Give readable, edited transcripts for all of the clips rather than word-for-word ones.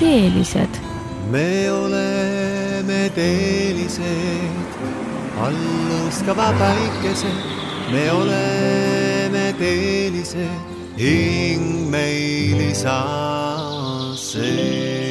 teelised. Me oleme teelised, alluskava päikesed. Me oleme teelised, hing meil isa sees.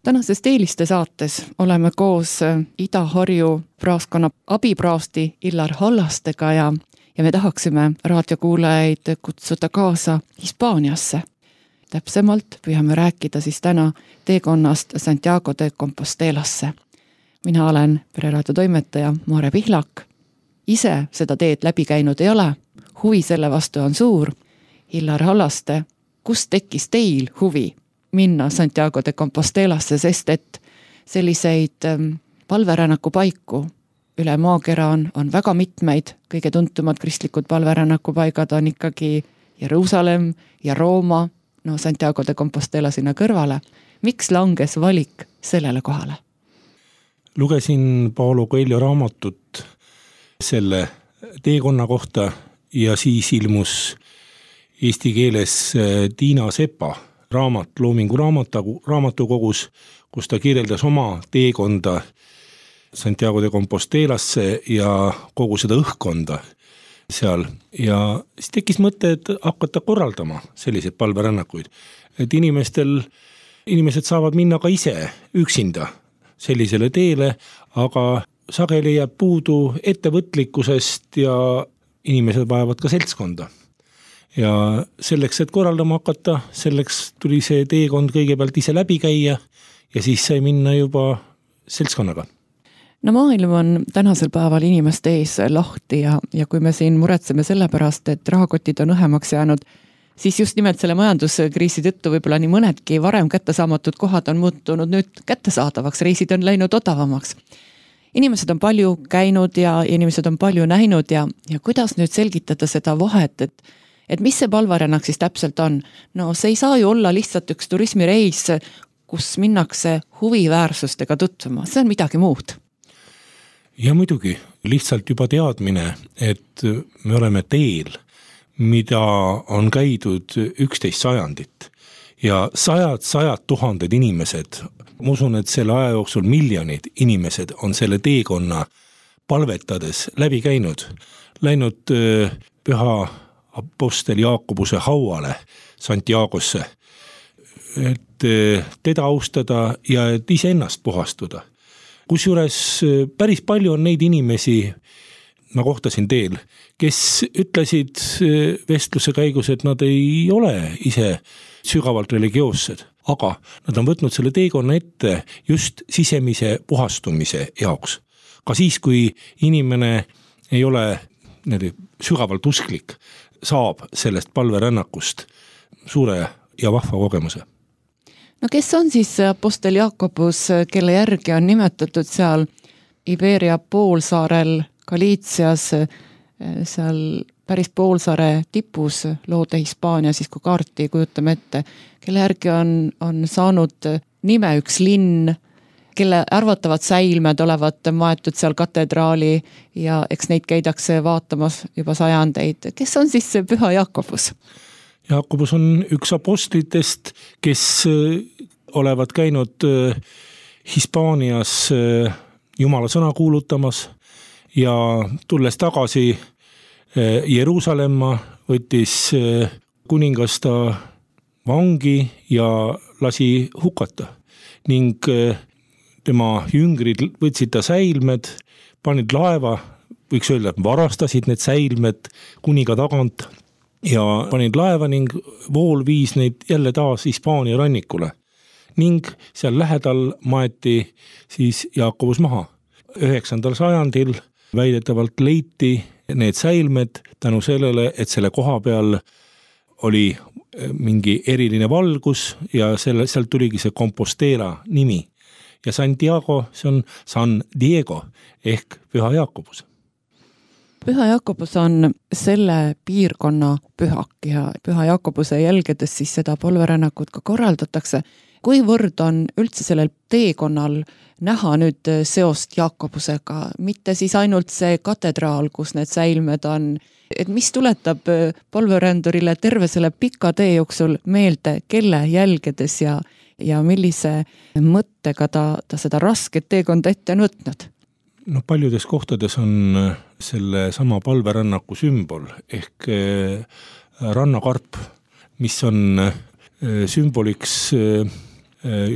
Tänases Teeliste saates oleme koos Ida-Harju praaskonna abipraasti Illar Hallastega ja me tahaksime raadiokuulajaid kutsuda kaasa Hispaaniasse. Täpsemalt püüame rääkida siis täna teekonnast Santiago de Compostelasse. Mina olen Pereraadio toimetaja Mare Pihlak. Ise seda teed läbi käinud ei ole, huvi selle vastu on suur. Illar Hallaste, kust tekkis teil huvi minna Santiago de Compostelasse, sest et selliseid palverännaku paiku üle maakera on väga mitmeid, kõige tuntumad kristlikud palverännaku paigad on ikkagi Jeruusalemm ja Rooma, no Santiago de Compostela sinna kõrvale. Miks langes valik sellele kohale? Lugesin Paulo Coelho raamatut selle teekonna kohta ja siis ilmus eesti keeles Tiina Sepa raamat Loomingu raamatukogus, kus ta kirjeldas oma teekonda Santiago de Compostelasse ja kogu seda õhkkonda seal. Ja siis tekkis mõte, et hakata korraldama selliseid palverännakuid. Et inimesed saavad minna ka ise üksinda sellisele teele, aga sageli jääb puudu ettevõtlikkusest ja inimesed vajavad ka seltskonda. Ja selleks, et korraldama hakata, selleks tuli see teekond kõigepealt ise läbi käia ja siis sai minna juba seltskonnaga. No maailm on tänasel päeval inimeste ees lahti ja kui me siin muretseme selle pärast, et rahakotid on õhemaks jäänud, siis just nimelt selle majanduskriisi tõttu võib-olla nii mõnedki varem kättesaamatud kohad on muutunud nüüd kättesaadavaks, reisid on läinud odavamaks. Inimesed on palju käinud ja inimesed on palju näinud ja kuidas nüüd selgitada seda vahet, et mis see palverännak siis täpselt on? No see ei saa ju olla lihtsalt üks turismireis, kus minnakse huviväärsustega tutvuma, see on midagi muud. Ja muidugi, lihtsalt juba teadmine, et me oleme teel, mida on käidud 11 sajandit ja sajad tuhanded inimesed, ma usun, et selle aja jooksul miljonid inimesed on selle teekonna palvetades läbi käinud, läinud püha apostel Jaakobuse hauale Santiagosse, et teda austada ja et iseennast puhastuda. Kusjuures päris palju on neid inimesi, ma kohtasin teel, kes ütlesid vestluse käigus, et nad ei ole ise sügavalt religioossed, aga nad on võtnud selle teekonna ette just sisemise puhastumise jaoks. Ka siis, kui inimene ei ole sügavalt usklik, saab sellest palverännakust suure ja vahva kogemuse. No kes on siis apostel Jaakobus, kelle järgi on nimetatud seal Iberia poolsaarel Galiitsias, seal päris poolsaare tipus loode Hispaania, siis kui kaarti kujutame ette, kelle järgi on saanud nime üks linn, kelle arvatavad säilmed olevat maetud seal katedraali ja eks neid käidakse vaatamas juba sajandeid. Kes on siis see püha Jaakobus? Jaakobus on üks apostlitest, kes olevat käinud Hispaanias Jumala sõna kuulutamas ja tulles tagasi Jeruusalemma võttis kuningas ta vangi ja lasi hukata ning tema jüngrid võtsid ta säilmed, panid laeva, võiks öelda, et varastasid need säilmed kuniga tagant ja panid laeva ning vool viis neid jälle taas Hispaania rannikule. Ning seal lähedal maeti siis Jaakobus maha. 9. sajandil väidetavalt leiti need säilmed tänu sellele, et selle koha peal oli mingi eriline valgus ja sealt tuligi see Compostela nimi. Ja Santiago, see on San Diego ehk Püha Jaakobus. Püha Jaakobus on selle piirkonna pühak ja Püha Jaakobuse jälgedes siis seda palverännakut ka korraldatakse. Kuivõrd on üldse sellel teekonnal näha nüüd seost Jaakobusega, mitte siis ainult see katedraal, kus need säilmed on, et mis tuletab palverändurile terve selle pika tee jooksul meelde, kelle jälgedes ja millise mõttega ta seda rasket teekonda ette on võtnud? No paljudes kohtades on selle sama palverännaku sümbol ehk rannakarp, mis on sümboliks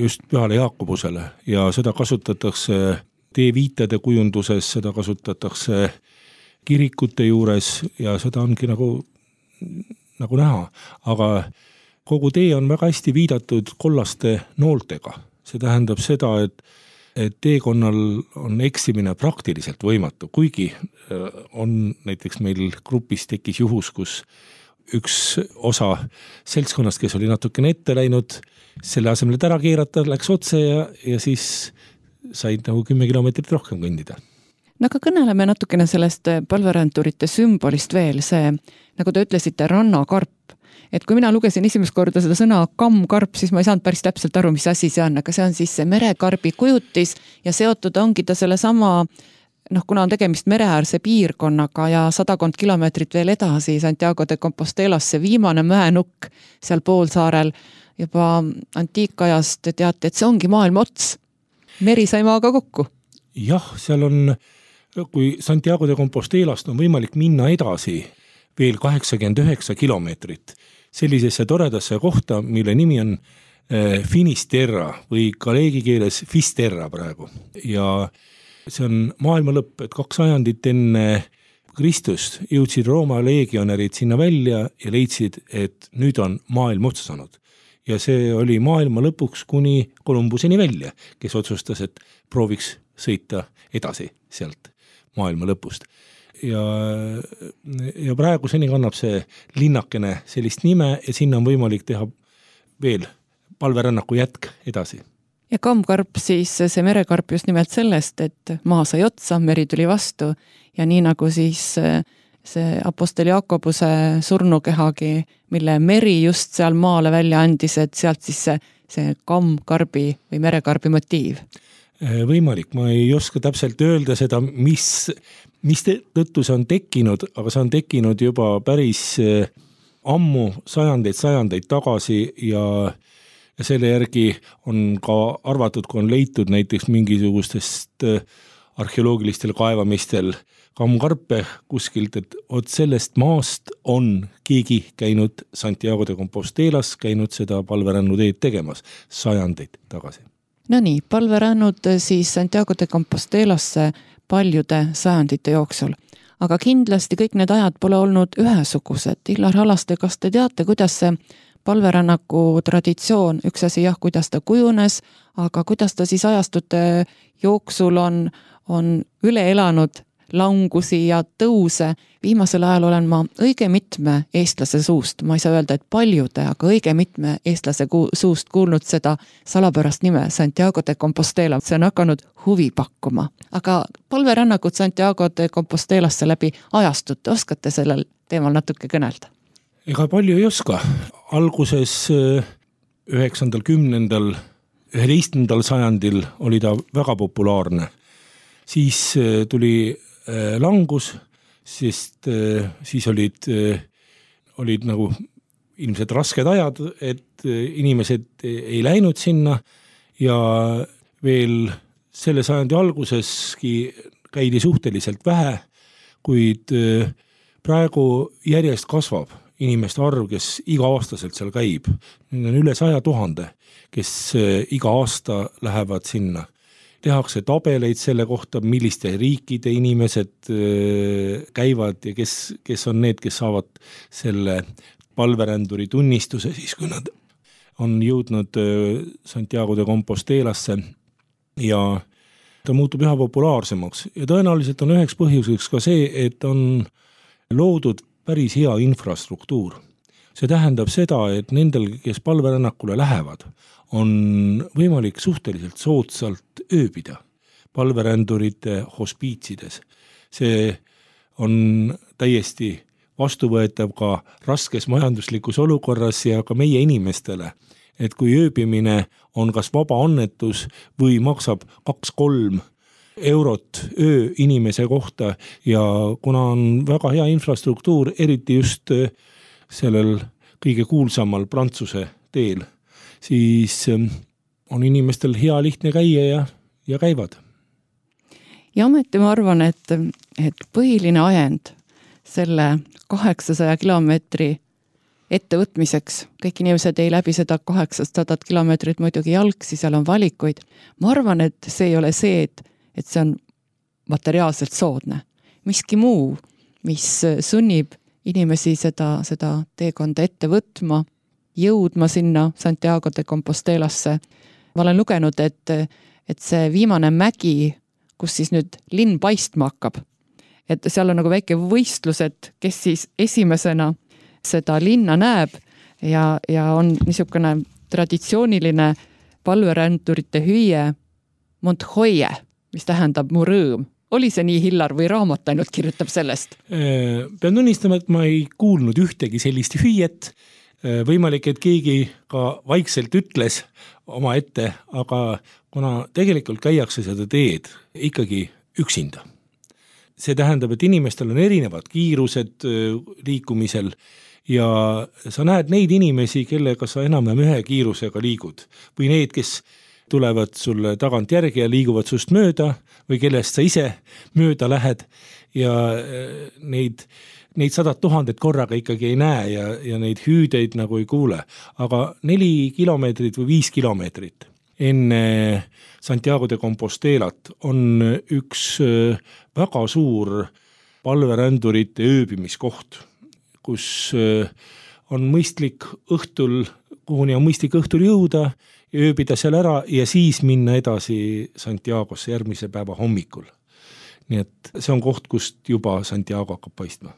just Pühale Jaakobusele ja seda kasutatakse teeviitade kujunduses, seda kasutatakse kirikute juures ja seda ongi nagu näha, aga kogu tee on väga hästi viidatud kollaste nooltega. See tähendab seda, et teekonnal on eksimine praktiliselt võimatu, kuigi on näiteks meil grupis tekkis juhus, kus üks osa seltskonnast, kes oli natukene ette läinud, selle asemel ära keerata, läks otse ja siis said 10 kilomeetrit rohkem kõndida. No aga kõneleme natukene sellest palveränturite sümbolist veel, see, nagu te ütlesite, rannakarp. Et kui mina lugesin esimest korda seda sõna kammkarp, siis ma ei saanud päris täpselt aru, mis asi see on, aga see on siis see merekarbi kujutis ja seotud ongi ta selle sama, kuna on tegemist mereäärse piirkonnaga ja 100 kilomeetrit veel edasi Santiago de Compostelas, see viimane mäenukk seal poolsaarel, juba antiikajast teate, et see ongi maailma ots. Meri sai maaga kokku. Jah, seal on, kui Santiago de Compostelast on võimalik minna edasi veel 89 kilomeetrit sellisesse toredasse kohta, mille nimi on Finisterra või galeegi keeles Fisterra praegu. Ja see on maailma lõpp, et 2 sajandit enne Kristust jõudsid Rooma leegionärid sinna välja ja leidsid, et nüüd on maailm otsa saanud. Ja see oli maailma lõpuks kuni Kolumbuseni välja, kes otsustas, et prooviks sõita edasi sealt maailma lõpust. Ja praeguseni kannab see linnakene sellist nime ja sinna on võimalik teha veel palverännaku jätk edasi. Ja kammkarp siis, see merekarp just nimelt sellest, et maa sai otsa, meri tuli vastu ja nii nagu siis see Apostel Jaakobuse surnukehagi, mille meri just seal maale välja andis, et sealt siis see kammkarbi või merekarbi motiiv. Võimalik, ma ei oska täpselt öelda seda, mis tõttu see on tekkinud, aga see on tekkinud juba päris ammu, sajandeid tagasi ja selle järgi on ka arvatud, kui on leitud näiteks mingisugustest arheoloogilistel kaevamistel kammkarpe kuskilt, et sellest maast on keegi käinud Santiago de Compostelas, käinud seda palverännuteed tegemas sajandeid tagasi. No nii, palverännud siis Santiago de Compostelasse paljude sajandite jooksul. Aga kindlasti kõik need ajad pole olnud ühesugused. Illar Hallaste, kas te teate, kuidas see palverännaku traditsioon, üks asi jah, kuidas ta kujunes, aga kuidas ta siis ajastute jooksul on üle elanud langusi ja tõuse. Viimasel ajal olen ma õige mitme eestlase suust, ma ei saa öelda, et paljude, aga õige mitme eestlase suust kuulnud seda salapärast nime Santiago de Compostela. See on hakanud huvi pakkuma. Aga palverännakud Santiago de Compostelasse läbi ajastute, oskate sellel teemal natuke kõnelda? Ega palju ei oska. Alguses 9., 10., 11. sajandil oli ta väga populaarne. Siis tuli langus, sest siis olid nagu ilmselt rasked ajad, et inimesed ei läinud sinna ja veel selle sajandi alguseski käidi suhteliselt vähe, kuid praegu järjest kasvab inimeste arv, kes iga-aastaselt seal käib. Nüüd on üle 100 000, kes iga aasta lähevad sinna. Tehakse tabeleid selle kohta, milliste riikide inimesed käivad ja kes on need, kes saavad selle palveränduri tunnistuse, siis kui nad on jõudnud Santiago de Compostelasse ja ta muutub üha populaarsemaks. Ja tõenäoliselt on üheks põhjuseks ka see, et on loodud päris hea infrastruktuur. See tähendab seda, et nendel, kes palverännakule lähevad, on võimalik suhteliselt soodsalt ööbida palverändurite hospiitsides. See on täiesti vastuvõetav ka raskes majanduslikus olukorras ja ka meie inimestele, et kui ööbimine on kas vaba annetus või maksab 2-3 eurot öö inimese kohta ja kuna on väga hea infrastruktuur, eriti just sellel kõige kuulsamal Prantsuse teel, siis on inimestel hea lihtne käia ja käivad. Ja ometi ma arvan, et põhiline ajend selle 800 kilomeetri ettevõtmiseks, kõik inimesed ei läbi seda 800 kilomeetrit muidugi jalgsi, seal on valikuid. Ma arvan, et see ei ole see, et see on materiaalselt soodne. Miski muu, mis sunnib inimesi seda teekonda ette võtma, jõudma sinna Santiago de Compostelasse. Ma olen lugenud, et see viimane mägi, kus siis nüüd linn paistma hakkab, et seal on nagu väike võistlus, et kes siis esimesena seda linna näeb ja on niisugune traditsiooniline palverändurite hüüe Montoya, mis tähendab mu rõõm. Oli see nii, Hillar, või raamat ainult kirjutab sellest? Pean tunnistama, et ma ei kuulnud ühtegi sellist hüüet. Võimalik, et keegi ka vaikselt ütles oma ette, aga kuna tegelikult käiakse seda teed ikkagi üksinda. See tähendab, et inimestel on erinevad kiirused liikumisel ja sa näed neid inimesi, kellega sa enam-vähem ühe kiirusega liigud või need, kes tulevad sulle tagant järgi ja liiguvad sust mööda või kellest sa ise mööda lähed ja neid 100 000 korraga ikkagi ei näe ja neid hüüdeid nagu ei kuule. Aga 4 kilomeetrit või 5 kilomeetrit enne Santiago de Compostelat on üks väga suur palverändurite ööbimiskoht, kus on mõistlik õhtul, kuhuni on mõistlik õhtul jõuda ja ööbida seal ära ja siis minna edasi Santiagosse järgmise päeva hommikul. Nii et see on koht, kust juba Santiago hakkab paistma.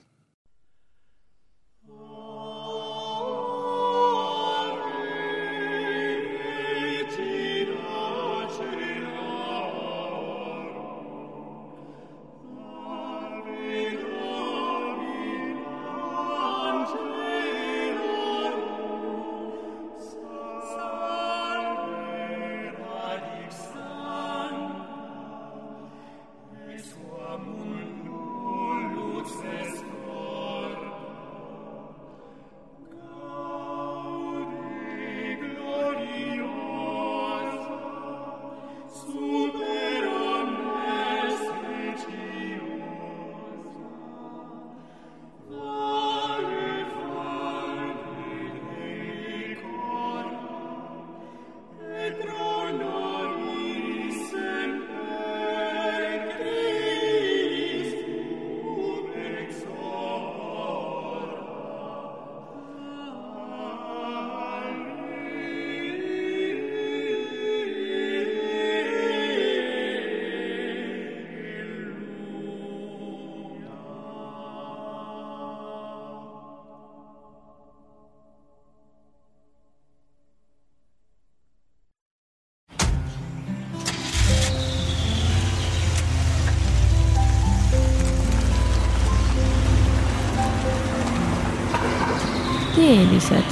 Teelised.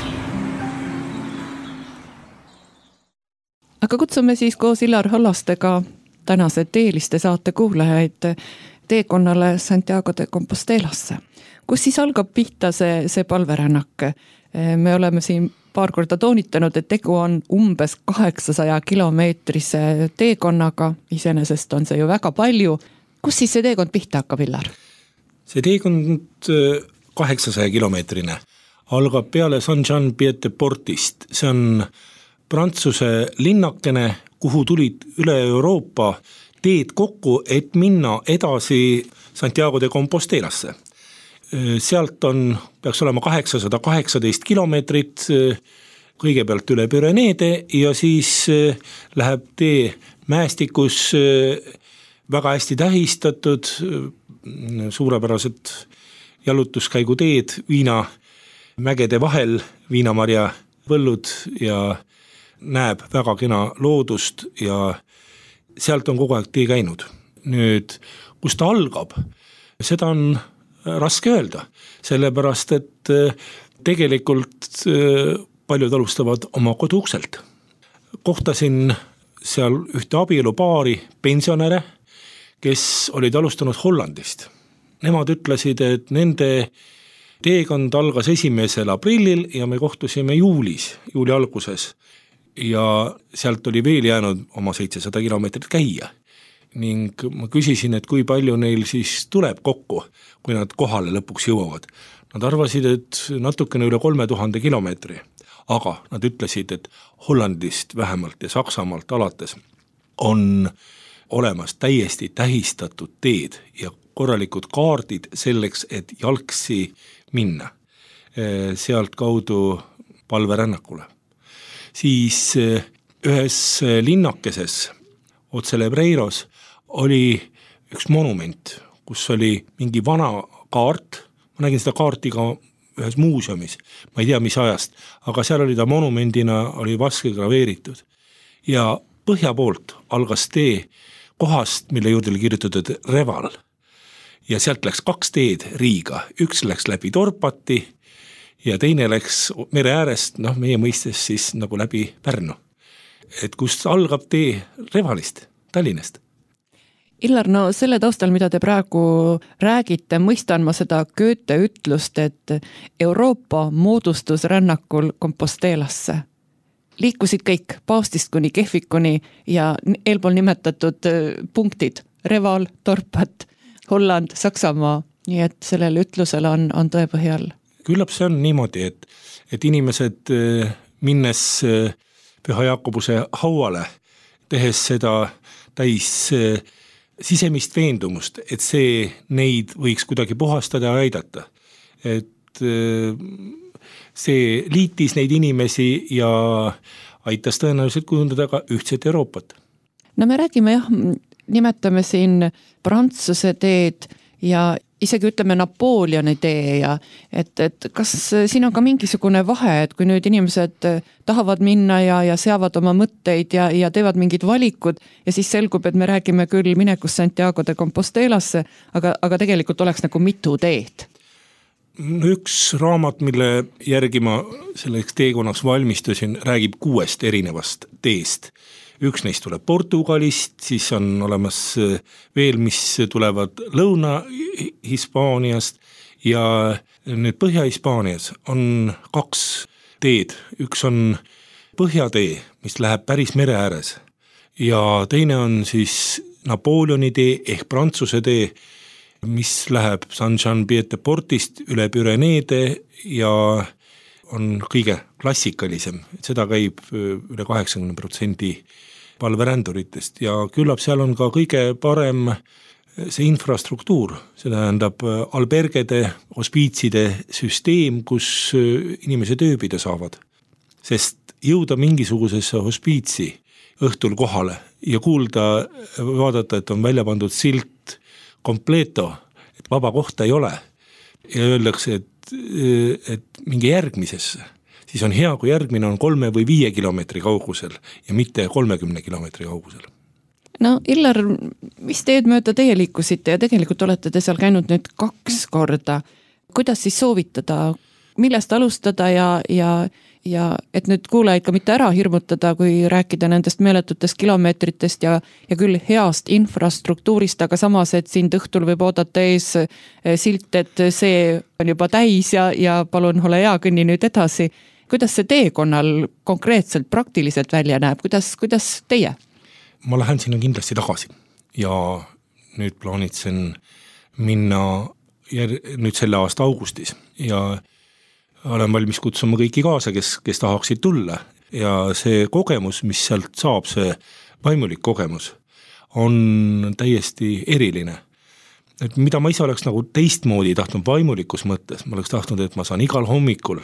Aga kutsume siis koos Illar Hallastega tänase Teeliste saate kuulajaid teekonnale Santiago de Compostelasse. Kus siis algab pihta see palverännak? Me oleme siin paar korda toonitanud, et tegu on umbes 800 kilomeetrise teekonnaga. Iseenesest on see ju väga palju. Kus siis see teekond pihta hakkab, Illar? See teekond 800 kilomeetrine algab peale Saint-Jean-Pied-de-Portist. See on Prantsuse linnakene, kuhu tulid üle Euroopa teed kokku, et minna edasi Santiago de Compostelasse. Sealt peaks olema 818 kilomeetrit, kõigepealt üle Püreneede ja siis läheb tee mäestikus väga hästi tähistatud, suurepärased jalutuskäiguteed, mägede vahel viinamarja põllud ja näeb väga kena loodust ja sealt on kogu aeg tee käinud. Nüüd, kus ta algab, seda on raske öelda, sellepärast et tegelikult paljud alustavad oma koduukselt. Kohtasin seal ühte abielupaari pensionäre, kes olid alustanud Hollandist. Nemad ütlesid, et nende teekond algas 1. aprillil ja me kohtusime juuli alguses ja sealt oli veel jäänud oma 700 kilomeetrit käia. Ning ma küsisin, et kui palju neil siis tuleb kokku, kui nad kohale lõpuks jõuavad. Nad arvasid, et natukene üle 3000 kilomeetri, aga nad ütlesid, et Hollandist vähemalt ja Saksamaalt alates on olemas täiesti tähistatud teed ja korralikud kaardid selleks, et jalgsi minna sealt kaudu palverännakule. Siis ühes linnakeses Otselebreiros oli üks monument, kus oli mingi vana kaart, ma nägin seda kaarti ka ühes muuseumis, ma ei tea mis ajast, aga seal oli ta monumendina, oli vaske graveeritud ja põhja poolt algas tee kohast, mille juurde oli kirjutatud Reval ja sealt läks 2 teed Riiga, üks läks läbi Dorpati ja teine läks mere äärest, meie mõistes siis nagu läbi Pärnu. Et kust algab tee Revalist, Tallinnast. Illar, no selle taustal, mida te praegu räägite, mõistan ma seda Goethe ütlust, et Euroopa moodustus rännakul Compostelasse. Liikusid kõik paavstist kuni Kehvikuni ja eelpool nimetatud punktid, Reval, Dorpat, Holland, Saksamaa, nii et sellel ütlusel on tõepõhjal. Küllap see on niimoodi, et inimesed minnes Püha Jaakobuse hauale, tehes seda täis sisemist veendumust, et see neid võiks kuidagi puhastada ja aidata. Et see liitis neid inimesi ja aitas tõenäoliselt kujundada ka ühtset Euroopat. No me räägime nimetame siin Prantsuse teed ja isegi ütleme Napoleoni tee ja et kas siin on ka mingisugune vahe, et kui nüüd inimesed tahavad minna ja seavad oma mõtteid ja teevad mingid valikud ja siis selgub, et me räägime küll minekust Santiago de Compostelasse, aga tegelikult oleks nagu mitu teed. Üks raamat, mille järgi ma selleks teekonnaks valmistusin, räägib 6 erinevast teest. Üks neist tuleb Portugalist, siis on olemas veel, mis tulevad Lõuna-Hispaaniast ja nüüd Põhja-Hispaanias on 2 teed. Üks on Põhjatee, mis läheb päris mere ääres ja teine on siis Napoleoni tee ehk Prantsuse tee, mis läheb Saint-Jean-Pied-de-Portist üle Püreneede ja on kõige klassikalisem. Seda käib üle 80% palveränduritest ja küllap seal on ka kõige parem see infrastruktuur, see tähendab albergede, hospiitside süsteem, kus inimesed ööbida saavad. Sest jõuda mingisugusesse hospiitsi õhtul kohale ja kuulda, vaadata, et on välja pandud silt kompleto, et vaba kohta ei ole ja öeldakse, et mingi järgmisesse, siis on hea, kui järgmine on 3 või 5 kilomeetri kaugusel ja mitte 30 kilomeetri kaugusel. No Illar, mis teed mööda teie liikusite ja tegelikult olete te seal käinud nüüd 2 korda. Kuidas siis soovitada, millest alustada ja et nüüd kuulajaid ka mitte ära hirmutada, kui rääkida nendest meeletutest kilomeetritest ja küll heast infrastruktuurist, aga samas, et siin õhtul võib oodata ees silt, et see on juba täis ja palun ole hea, kõnni nüüd edasi. Kuidas see teekonnal konkreetselt praktiliselt välja näeb? Kuidas teie? Ma lähen sinna kindlasti tagasi ja nüüd plaanitsen minna nüüd selle aasta augustis ja olen valmis kutsuma kõiki kaasa, kes tahaksid tulla ja see kogemus, mis sealt saab, see vaimulik kogemus on täiesti eriline. Et mida ma ise oleks nagu teistmoodi tahtnud vaimulikus mõttes, ma oleks tahtnud, et ma saan igal hommikul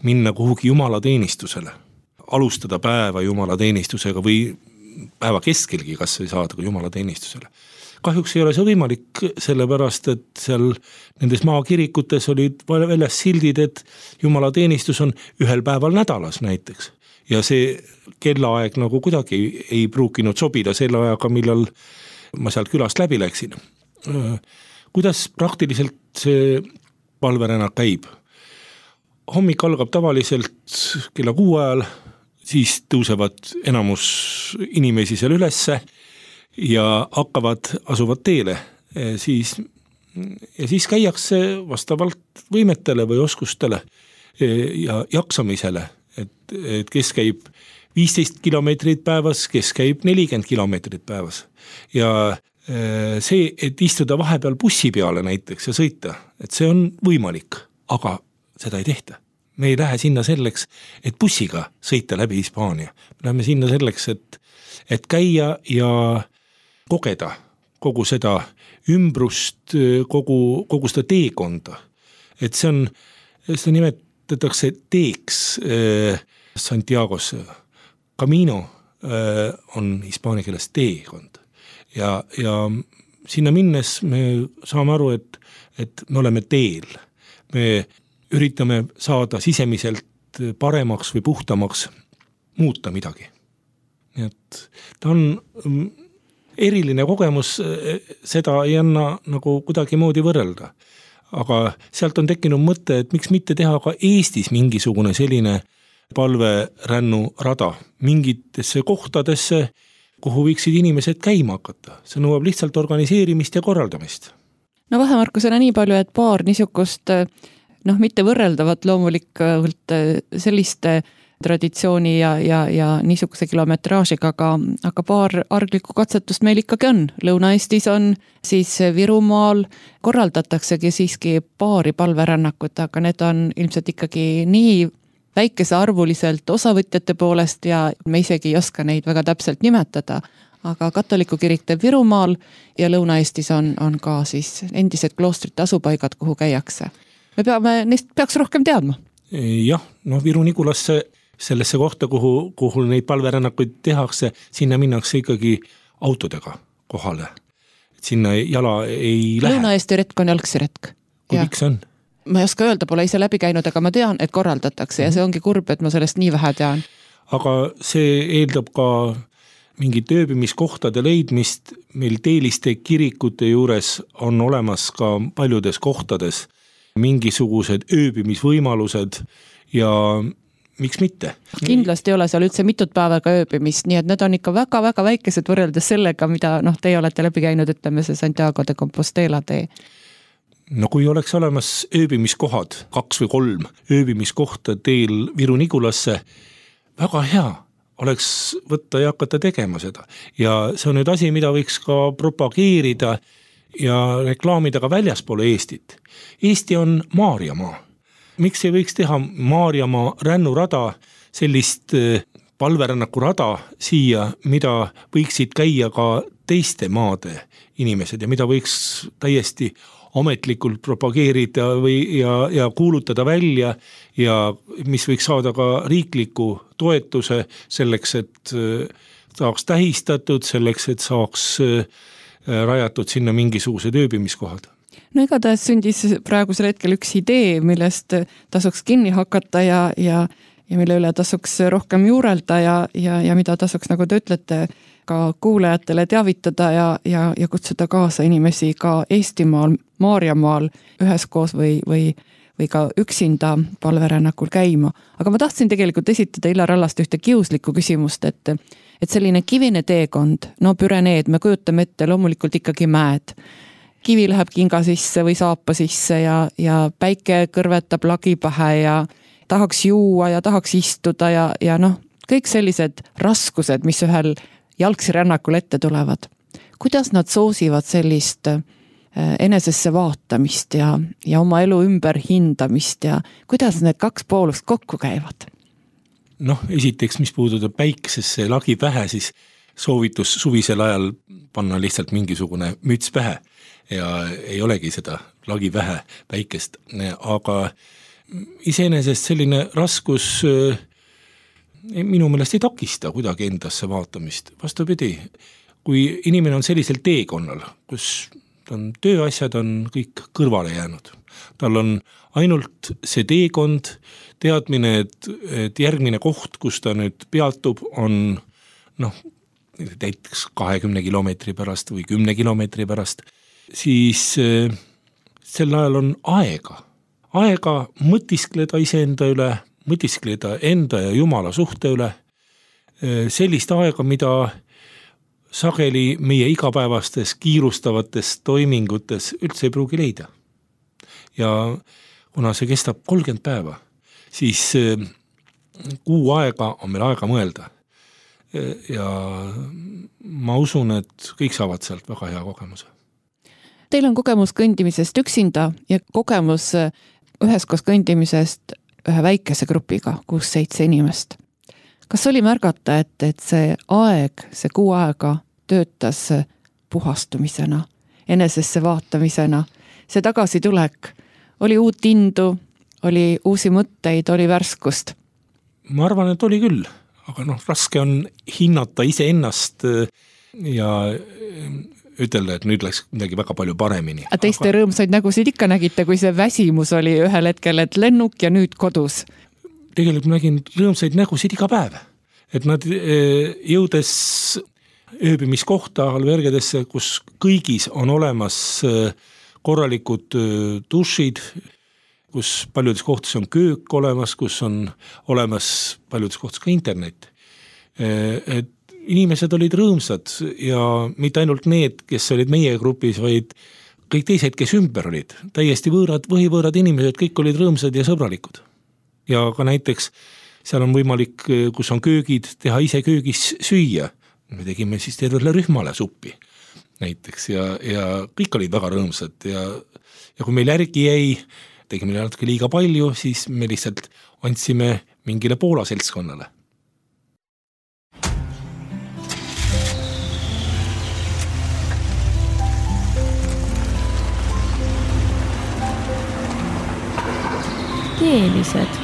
minna kuhugi jumalateenistusele, alustada päeva jumalateenistusega või päeva keskelgi kas või saada ka jumalateenistusele. kahjuks ei ole see võimalik, sellepärast, et seal nendes maakirikutes olid väljas sildid, et jumalateenistus on ühel päeval nädalas näiteks. Ja see kellaaeg nagu kuidagi ei pruukinud sobida selle ajaga, millal ma sealt külast läbi läksin. Kuidas praktiliselt see palverännak käib? Hommik algab tavaliselt kella 6 ajal, siis tõusevad enamus inimesi seal ülesse ja asuvad teele. Ja siis käiakse vastavalt võimetele või oskustele ja jaksamisele. Et kes käib 15 kilomeetrit päevas, kes käib 40 kilomeetrit päevas. Ja see, et istuda vahepeal bussi peale näiteks ja sõita, et see on võimalik, aga seda ei tehta. Me ei lähe sinna selleks, et bussiga sõita läbi Hispaania. Me läheme sinna selleks, et käia ja kogeda kogu seda ümbrust, kogu seda teekonda. Et seda nimetatakse teeks Santiagos. Camino on hispaania keeles teekond. Ja sinna minnes me saame aru, et me oleme teel. Me üritame saada sisemiselt paremaks või puhtamaks, muuta midagi. Nii et ta on eriline kogemus, seda ei anna nagu kuidagi moodi võrrelda. Aga sealt on tekkinud mõte, et miks mitte teha ka Eestis mingisugune selline palverännu rada mingitesse kohtadesse, kuhu võiksid inimesed käima hakata. See nõuab lihtsalt organiseerimist ja korraldamist. No vahemarkusena nii palju, et paar niisugust, mitte võrreldavat loomulikult selliste traditsiooni ja niisuguse kilometraažiga, aga paar arglikku katsetust meil ikkagi on. Lõuna-Eestis on, siis Virumaal korraldataksegi siiski paari palverännakut, aga need on ilmselt ikkagi nii väikese arvuliselt osavõtjate poolest ja me isegi ei oska neid väga täpselt nimetada, aga katoliku kirik teeb Virumaal ja Lõuna-Eestis on ka siis endised kloostrite asupaigad, kuhu käiakse. Neist peaks rohkem teadma. Jah, Viru Nigulasse sellesse kohta, kuhu neid palverännakuid tehakse, sinna minnakse ikkagi autodega kohale. Sinna jala ei lähe. Lõuna-Eesti retk on jalgsi retk. Kui pikk see on? Ma ei oska öelda, pole ise läbi käinud, aga ma tean, et korraldatakse ja see ongi kurb, et ma sellest nii vähe tean. Aga see eeldab ka mingit ööbimiskohtade leidmist. Meil Teeliste kirikute juures on olemas ka paljudes kohtades mingisugused ööbimisvõimalused ja miks mitte? Kindlasti ei ole seal üldse mitut päevaga ööbimist, nii et need on ikka väga-väga väikesed võrreldes sellega, mida teie olete läbi käinud, ütleme see Santiago de Compostela tee. No kui oleks olemas ööbimiskohad, 2 või 3 ööbimiskohta teel Viru Nigulasse, väga hea oleks võtta ja hakata tegema seda. Ja see on nüüd asi, mida võiks ka propageerida ja reklaamida ka väljaspoole Eestit. Eesti on Maarjamaa. Miks ei võiks teha Maarjamaa rännurada, sellist palverännaku rada siia, mida võiksid käia ka teiste maade inimesed ja mida võiks täiesti ametlikult propageerida ja kuulutada välja ja mis võiks saada ka riikliku toetuse selleks, et saaks tähistatud, selleks, et saaks rajatud sinna mingisugused ööbimiskohad. No igatahes sündis praegusel hetkel üks idee, millest tasuks kinni hakata ja mille üle tasuks rohkem juurelda ja mida tasuks, nagu te ütlete, ka kuulajatele teavitada ja kutsuda kaasa inimesi ka Eestimaal, Maarjamaal üheskoos või ka üksinda palverännakul käima. Aga ma tahtsin tegelikult esitada Illar Allast ühte kiuslikku küsimust, et selline kivine teekond, Püreneed, me kujutame ette loomulikult ikkagi mäed. Kivi läheb kinga sisse või saapa sisse ja päike kõrvetab lagi pähe ja tahaks juua ja tahaks istuda ja kõik sellised raskused, mis ühel jalgsi rännakul ette tulevad. Kuidas nad soosivad sellist enesesse vaatamist ja oma elu ümber hindamist ja kuidas need kaks poolust kokku käivad? Esiteks, mis puudutab päikesesse lagi pähe, siis soovitus suvisel ajal panna lihtsalt mingisugune müts pähe ja ei olegi seda lagi pähe päikest, aga iseenesest selline raskus minu meelest ei takista kuidagi endasse vaatamist. Vastupidi, kui inimene on sellisel teekonnal, kus tööasjad on kõik kõrvale jäänud. Tal on ainult see teekond, teadmine, et järgmine koht, kus ta nüüd peatub, on näiteks 20 kilomeetri pärast või 10 kilomeetri pärast, siis sel ajal on aega mõtiskleda iseenda üle, mõtiskleda enda ja Jumala suhte üle, sellist aega, mida sageli meie igapäevastes kiirustavates toimingutes üldse ei pruugi leida. Ja kuna see kestab 30 päeva, siis kuu aega on meil aega mõelda. Ja ma usun, et kõik saavad sealt väga hea kogemuse. Teil on kogemus kõndimisest üksinda ja kogemus üheskoos kõndimisest ühe väikese grupiga, 6-7 inimest. Kas oli märgata, et see aeg, see kuu aega töötas puhastumisena, enesesse vaatamisena, see tagasitulek, oli uut indu, oli uusi mõtteid, oli värskust? Ma arvan, et oli küll, aga raske on hinnata iseennast ja ütelda, et nüüd läks midagi väga palju paremini. Teiste rõõmsaid nägusid ikka nägite, kui see väsimus oli ühel hetkel, et lennuk ja nüüd kodus? Tegelikult nägin rõõmsaid nägusid iga päev. Et nad jõudes ööbimiskohta albergedesse, kus kõigis on olemas korralikud dušid, kus paljudes kohtades on köök olemas, kus on olemas paljudes kohtades ka internet. Et inimesed olid rõõmsad ja mitte ainult need, kes olid meie grupis, vaid kõik teised, kes ümber olid. Täiesti võõrad inimesed, kõik olid rõõmsad ja sõbralikud. Ja ka näiteks seal on võimalik, kus on köögid, teha ise köögis süüa. Me tegime siis tervele rühmale suppi näiteks ja kõik olid väga rõõmsad ja kui meil järgi jäi, tegime natuke liiga palju, siis me lihtsalt andsime mingile Poola seltskonnale. Keelised.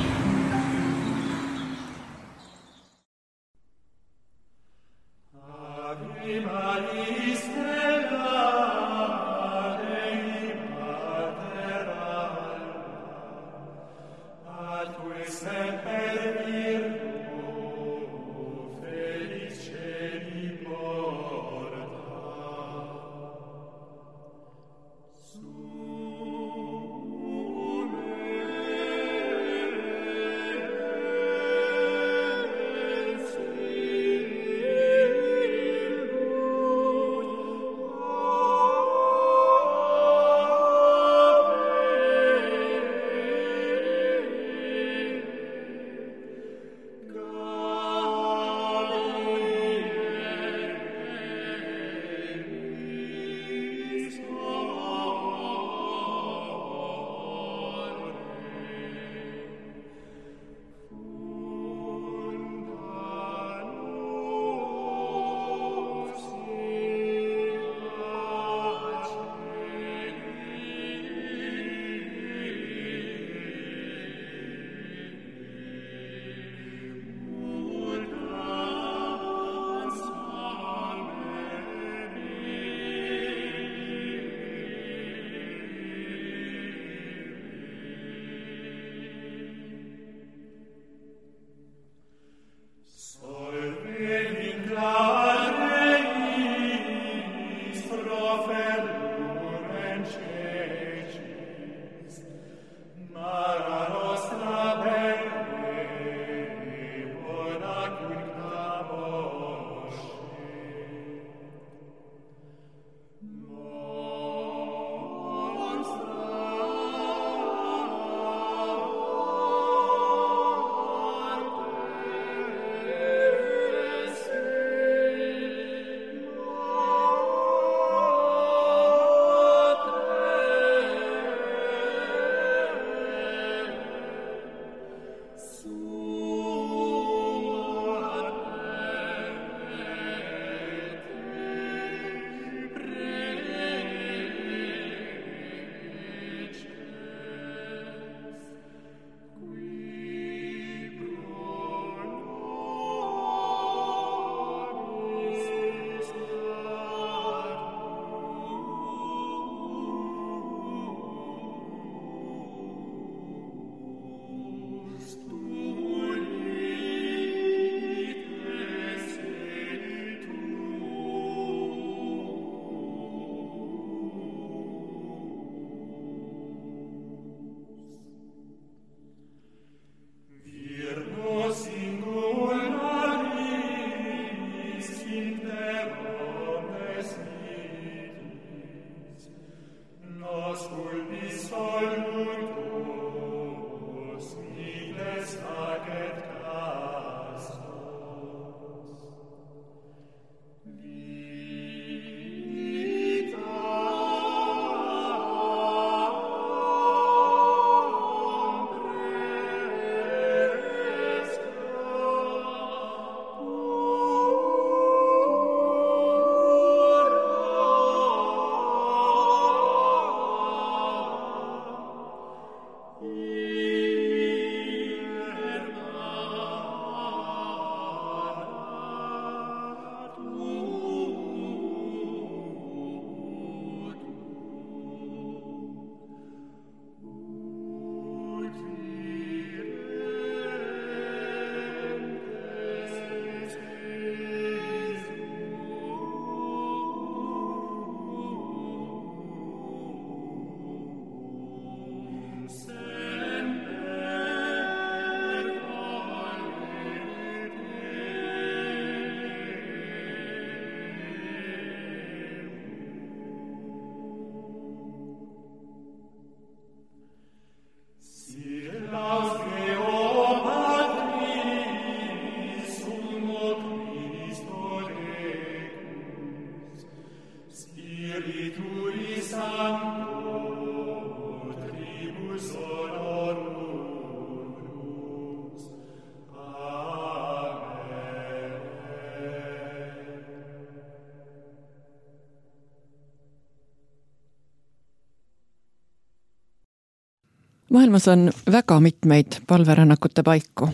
Maailmas on väga mitmeid palverännakute paiku.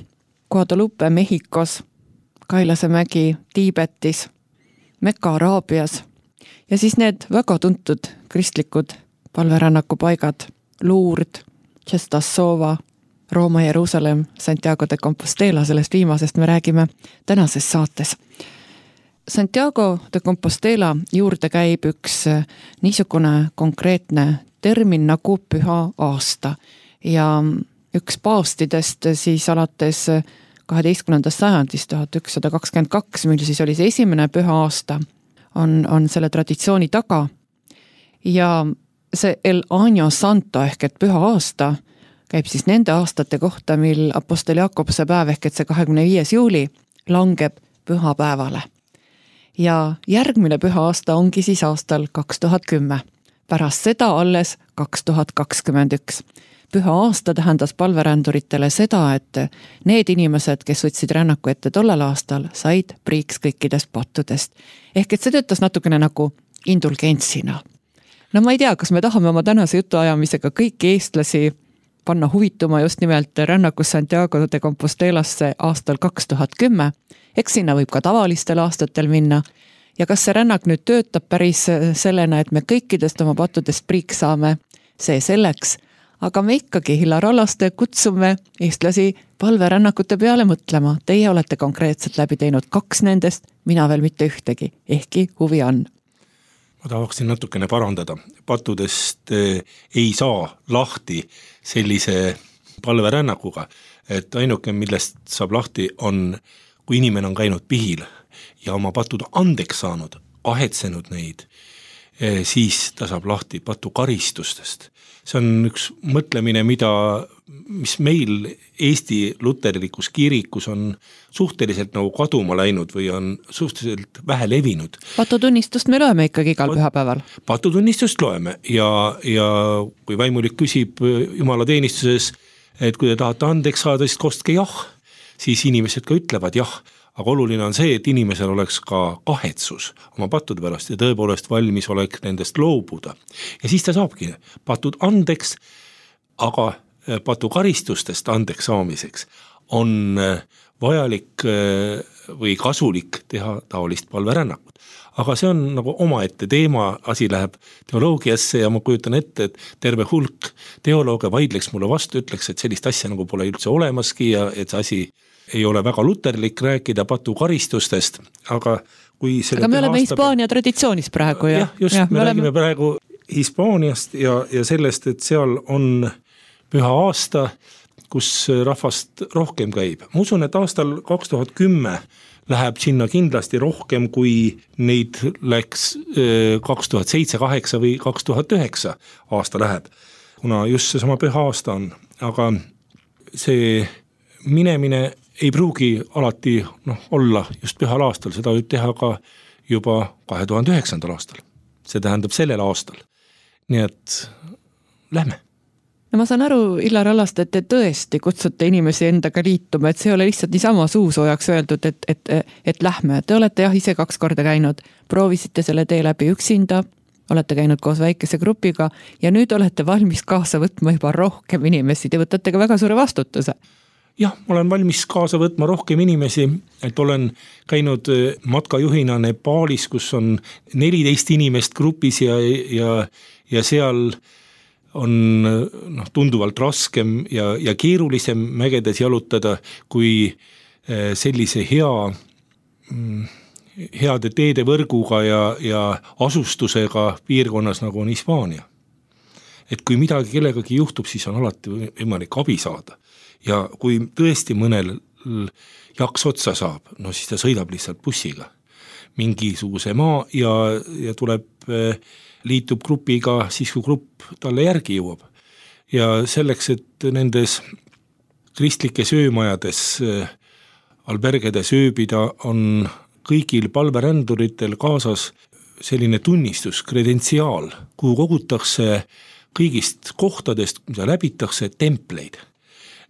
Guadalupe Mehhikos, Kailase mägi Tiibetis, Mekka Araabias ja siis need väga tuntud kristlikud palverännaku paigad Lourdes, Czestochowa, Rooma, Jeruusalemm, Santiago de Compostela, sellest viimasest me räägime tänases saates. Santiago de Compostela juurde käib üks niisugune konkreetne termin nagu püha aasta ja üks paavstidest siis alates 12. sajandist 1122, mil siis oli see esimene püha aasta, on selle traditsiooni taga ja see El Año Santo ehk et püha aasta käib siis nende aastate kohta, mil Apostel Jakobuse päev ehk et see 25. juuli langeb pühapäevale. Ja järgmine püha aasta ongi siis aastal 2010, pärast seda alles 2021. Püha aasta tähendas palveränduritele seda, et need inimesed, kes võtsid rännaku ette tollel aastal, said priiks kõikidest pattudest. Ehk et see töötas natukene nagu indulgentsina. No ma ei tea, kas me tahame oma tänase jutuajamisega kõiki eestlasi panna huvituma just nimelt rännakus Santiago de Compostelasse aastal 2010. Eks sinna võib ka tavalistel aastatel minna. Ja kas see rännak nüüd töötab päris sellena, et me kõikidest oma pattudest priiks saame, see selleks. Aga me ikkagi Illar Hallaste kutsume eestlasi palverännakute peale mõtlema. Teie olete konkreetselt läbi teinud 2 nendest, mina veel mitte ühtegi, ehkki huvi on. Ma tahaksin natukene parandada. Pattudest ei saa lahti sellise palverännakuga, et ainuke, millest saab lahti on, kui inimene on käinud pihil ja oma patud andeks saanud, ahetsenud neid, siis ta saab lahti patu karistustest. See on üks mõtlemine, mis meil Eesti luterlikus kirikus on suhteliselt nagu kaduma läinud või on suhteliselt vähe levinud. Patutunnistust me loeme ikkagi igal pühapäeval. Patutunnistust loeme ja kui vaimulik küsib Jumala teenistuses, et kui te tahate andeks saada, siis kostke jah, siis inimesed ka ütlevad jah. Aga oluline on see, et inimesel oleks ka kahetsus oma pattude pärast ja tõepoolest valmis olek nendest loobuda. Ja siis ta saabki patud andeks, aga patu karistustest andeks saamiseks on vajalik või kasulik teha taolist palverännakut. Aga see on nagu omaette teema, asi läheb teoloogiasse ja ma kujutan ette, et terve hulk teolooge vaidleks mulle vastu, ütleks, et sellist asja nagu pole üldse olemaski ja et see asi ei ole väga luterlik rääkida patu karistustest, aga kui aga me oleme Hispaania traditsioonis praegu. Jah, just, me räägime praegu Hispaaniast ja sellest, et seal on püha aasta, kus rahvast rohkem käib. Ma usun, et aastal 2010 läheb sinna kindlasti rohkem, kui neid läks 2007, 2008 või 2009 aasta läheb, kuna just see sama püha aasta on. Aga see minemine ei pruugi alati olla just pühal aastal, seda võib teha ka juba 2009. aastal. See tähendab sellel aastal. Nii et lähme. No ma saan aru, Illar Hallaste, et te tõesti kutsute inimesi endaga liituma, et see ei ole lihtsalt niisama suusoojaks öeldud, et lähme. Te olete jah ise 2 korda käinud, proovisite selle tee läbi üksinda, olete käinud koos väikese grupiga ja nüüd olete valmis kaasa võtma juba rohkem inimesi. Te võtate ka väga suure vastutuse. Jah, ma olen valmis kaasa võtma rohkem inimesi, et olen käinud matkajuhina Nepaalis, kus on 14 inimest grupis ja seal on tunduvalt raskem ja keerulisem mägedes jalutada kui sellise heade teede võrguga ja asustusega piirkonnas nagu on Hispaania. Et kui midagi kellegagi juhtub, siis on alati võimalik abi saada. Ja kui tõesti mõnel jaks otsa saab, siis ta sõidab lihtsalt bussiga mingisuguse maa ja liitub grupiga siis, kui grupp talle järgi jõuab. Ja selleks, et nendes kristlikes öömajades albergedes ööbida, on kõigil palveränduritel kaasas selline tunnistus, kredentsiaal, kuhu kogutakse kõigist kohtadest, mida läbitakse, templeid.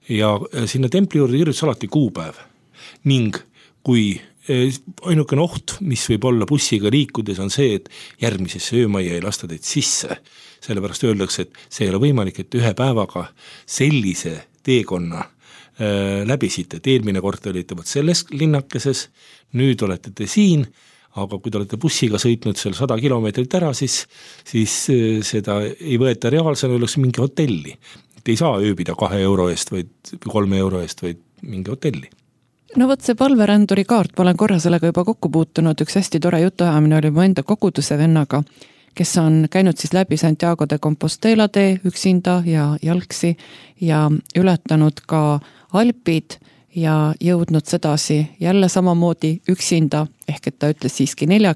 Ja sinna templi juurde kirjutas alati kuupäev ning kui ainukene oht, mis võib olla bussiga liikudes, on see, et järgmisesse öömajja ei lasta teid sisse. Sellepärast öeldakse, et see ei ole võimalik, et ühe päevaga sellise teekonna läbisite, et eelmine kord te olite selles linnakeses, nüüd olete te siin, aga kui te olete bussiga sõitnud seal 100 kilomeetrit ära, siis seda ei võeta reaalsena, oleks mingi hotelli. Te ei saa ööbida 2 euro eest või 3 euro eest, vaid mingi hotelli. No võt see palveränduri kaart, ma olen korra sellega juba kokku puutunud, üks hästi tore jutuajamine oli mu enda koguduse vennaga, kes on käinud siis läbi Santiago de Compostela tee üksinda ja jalgsi ja ületanud ka Alpid ja jõudnud sedasi jälle samamoodi üksinda, ehk et ta ütles siiski 4,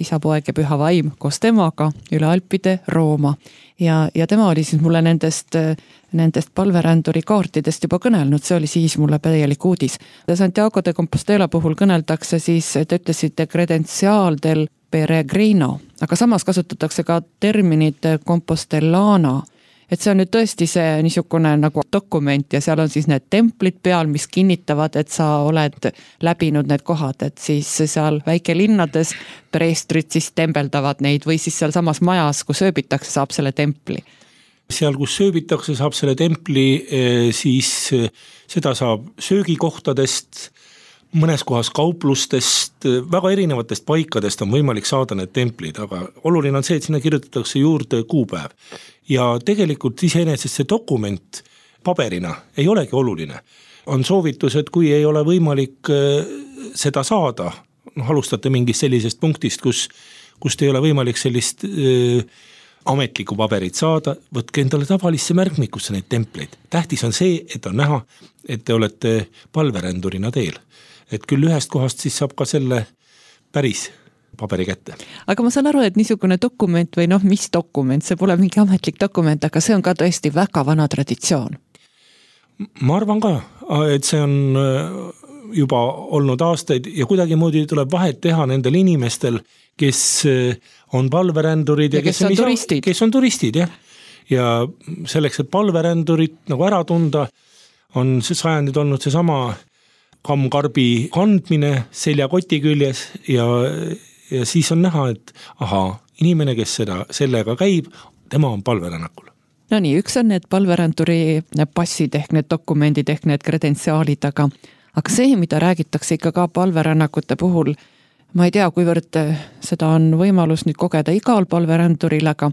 isa, poeg ja püha vaim koos temaga üle Alpide Rooma. Ja tema oli siis mulle nendest palveränduri kaartidest juba kõnelnud, see oli siis mulle täielik uudis. Santiago de Compostela puhul kõneldakse siis, te ütlesite credencial del peregrino, aga samas kasutatakse ka terminit compostellana, et see on nüüd tõesti see niisugune nagu dokument ja seal on siis need templid peal, mis kinnitavad, et sa oled läbinud need kohad, et siis seal väikelinnades preestrid siis tembeldavad neid või siis seal samas majas, kus ööbitakse, saab selle templi. Seal, kus sööbitakse, saab selle templi, siis seda saab söögikohtadest, mõnes kohas kauplustest, väga erinevatest paikadest on võimalik saada need templid, aga oluline on see, et sinna kirjutatakse juurde kuupäev. Ja tegelikult iseenesest see dokument paberina ei olegi oluline. On soovitus, et kui ei ole võimalik seda saada, alustate mingist sellisest punktist, kust ei ole võimalik sellist ametlikku paberit saada, võtke endale tavalisse märkmikusse neid templeid. Tähtis on see, et on näha, et te olete palverändurina teel. Et küll ühest kohast siis saab ka selle päris paberi kätte. Aga ma saan aru, et niisugune dokument või mis dokument, see pole mingi ametlik dokument, aga see on ka tõesti väga vana traditsioon. Ma arvan ka, et see on juba olnud aastaid ja kuidagi moodi tuleb vahet teha nendel inimestel, kes on palverändurid ja kes on turistid. Ja selleks, et palverändurid nagu ära tunda, on see sajandid olnud see sama kammkarbi kandmine seljakoti küljes ja siis on näha, et inimene, kes sellega käib, tema on palverännakul. No nii, üks on need palveränduri passid ehk need dokumendid ehk need kredentsiaalid, aga see, mida räägitakse ikka ka palverännakute puhul, ma ei tea, kuivõrd seda on võimalus nüüd kogeda igal palveränduril, aga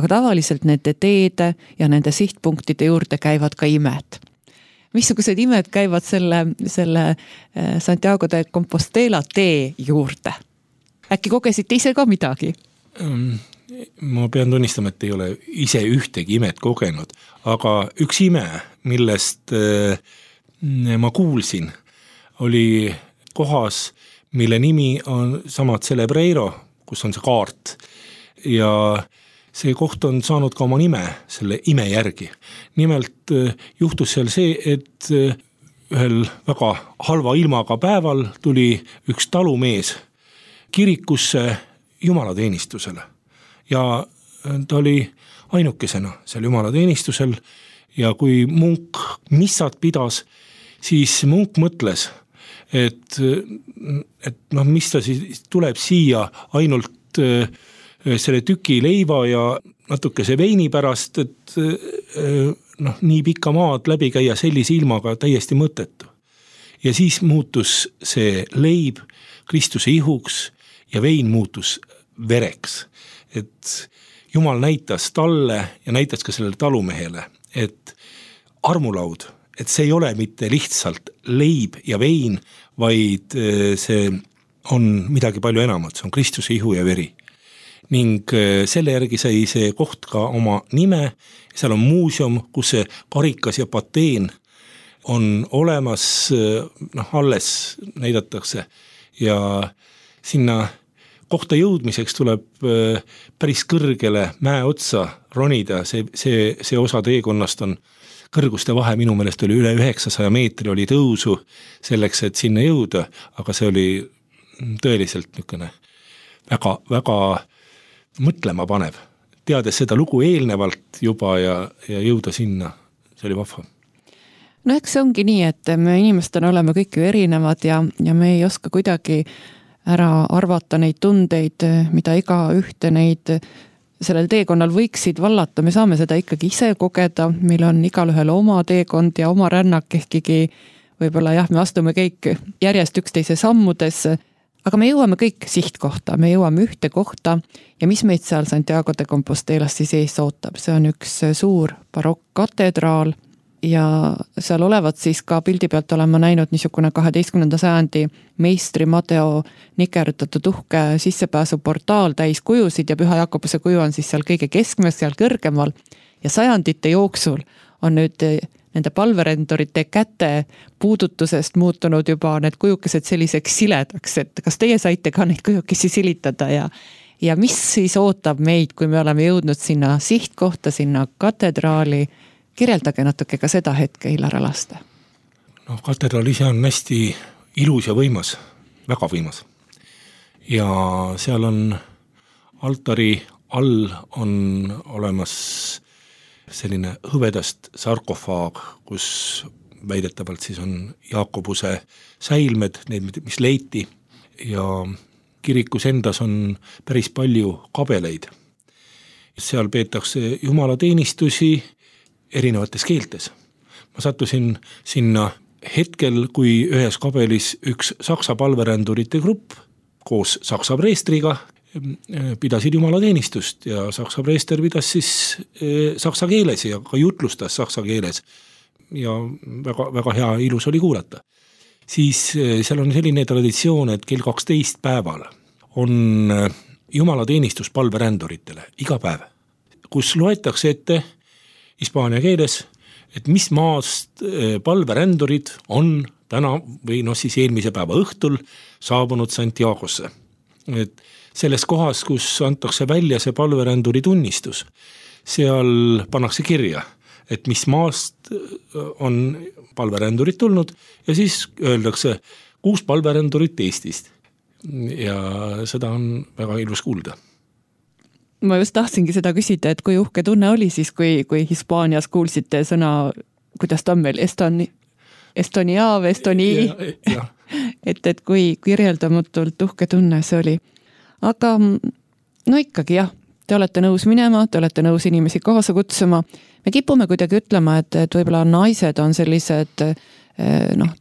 tavaliselt nende teede ja nende sihtpunktide juurde käivad ka imed. Missugused imed käivad selle Santiago de Compostela tee juurde? Äkki kogesite ise ka midagi? Ma pean tunnistama, et ei ole ise ühtegi imet kogenud, aga üks ime, millest ma kuulsin, oli kohas, mille nimi on sama Celebreiro, kus on see kaart ja see koht on saanud ka oma nime selle ime järgi. Nimelt juhtus seal see, et ühel väga halva ilmaga päeval tuli üks talumees kirikusse jumalateenistusele ja ta oli ainukesena seal jumalateenistusel ja kui munk missat pidas, siis munk mõtles, et mis ta siis tuleb siia ainult selle tüki leiva ja natukese veini pärast, et nii pikka maad läbi käia sellise ilmaga täiesti mõttetu. Ja siis muutus see leib Kristuse ihuks ja vein muutus vereks. Et Jumal näitas talle ja näitas ka sellele talumehele, et armulaud, et see ei ole mitte lihtsalt leib ja vein, vaid see on midagi palju enamat, see on Kristuse ihu ja veri. Ning selle järgi sai see koht ka oma nime, seal on muuseum, kus see karikas ja pateen on olemas, alles näidatakse ja sinna kohta jõudmiseks tuleb päris kõrgele mäe otsa ronida, see osa teekonnast on kõrguste vahe, minu meelest oli üle 900 meetri oli tõusu selleks, et sinna jõuda, aga see oli tõeliselt niisugune väga mõtlema panev, teades seda lugu eelnevalt juba ja jõuda sinna, see oli vahva. No eks see ongi nii, et me inimestena oleme kõik ju erinevad ja me ei oska kuidagi ära arvata neid tundeid, mida iga ühte neid sellel teekonnal võiksid vallata. Me saame seda ikkagi ise kogeda, meil on igal ühel oma teekond ja oma rännak, ehkigi võib-olla jah, me astume kõik järjest üksteise sammudesse, aga me jõuame kõik sihtkohta, me jõuame ühte kohta ja mis meid seal Santiago de Compostelas siis ees ootab, see on üks suur barokk-katedraal ja seal olevat siis ka pildi pealt olema näinud niisugune 12. sajandi meistri Madeo nikerutatud uhke sissepääsuportaal täis kujusid ja Püha Jakobuse kuju on siis seal kõige keskmes, seal kõrgemal ja sajandite jooksul on nüüd nende palverendurite käte puudutusest muutunud juba need kujukesed selliseks siledaks, et kas teie saite ka neid kujukesi silitada ja mis siis ootab meid, kui me oleme jõudnud sinna sihtkohta, sinna katedraali. Kirjeldage natuke ka seda hetke, Illar Halaste. No, katedraal ise on hästi ilus ja võimas, väga võimas. Ja seal on altari all on olemas selline hõvedast sarkofaag, kus väidetavalt siis on Jaakobuse säilmed, need, mis leiti ja kirikus endas on päris palju kabeleid. Seal peetakse jumalateenistusi erinevates keeltes. Ma sattusin sinna hetkel, kui ühes kabelis üks saksa palverändurite grupp koos saksa preestriga pidasid jumalateenistust ja saksa preester pidas siis saksa keeles ja ka jutlustas saksa keeles ja väga, väga hea ilus oli kuulata. Siis seal on selline traditsioon, et kell 12 päeval on jumalateenistus palveränduritele iga päev, kus loetakse ette hispaania keeles, et mis maast palverändurid on täna või siis eelmise päeva õhtul saabunud Santiagosse. Et selles kohas, kus antakse välja see palveränduri tunnistus, seal pannakse kirja, et mis maast on palverändurid tulnud ja siis öeldakse 6 palverändurit Eestist. Ja seda on väga ilus kuulda. Ma just tahtsingi seda küsida, et kui uhke tunne oli siis, kui Hispaanias kuulsite sõna, kuidas ta on meil, Estonia või Estoni, et kui kirjeldamatult uhke tunne see oli. Aga no ikkagi jah, te olete nõus minema, te olete nõus inimesi kaasa kutsuma. Me kipume kuidagi ütlema, et võib-olla naised on sellised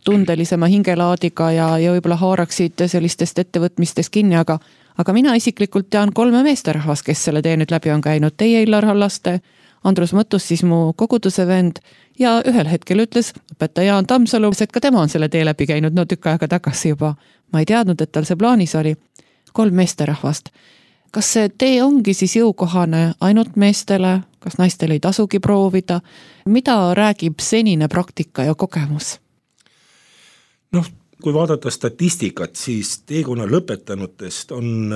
tundelisema hingelaadiga ja võib-olla haaraksid sellistest ettevõtmistest kinni, aga mina isiklikult tean 3 meesterahvas, kes selle tee nüüd läbi on käinud. Teie, Illar Halaste, Andrus Mõttus, siis mu koguduse vend ja ühel hetkel ütles õpetaja Jaan Tammsalu, et ka tema on selle tee läbi käinud, no tükk aega tagasi juba. Ma ei teadnud, et tal see plaanis oli. 3 meesterahvast. Kas see tee ongi siis jõukohane ainult meestele? Kas naistel ei tasugi proovida? Mida räägib senine praktika ja kogemus? Kui vaadata statistikat, siis teekonna lõpetanutest on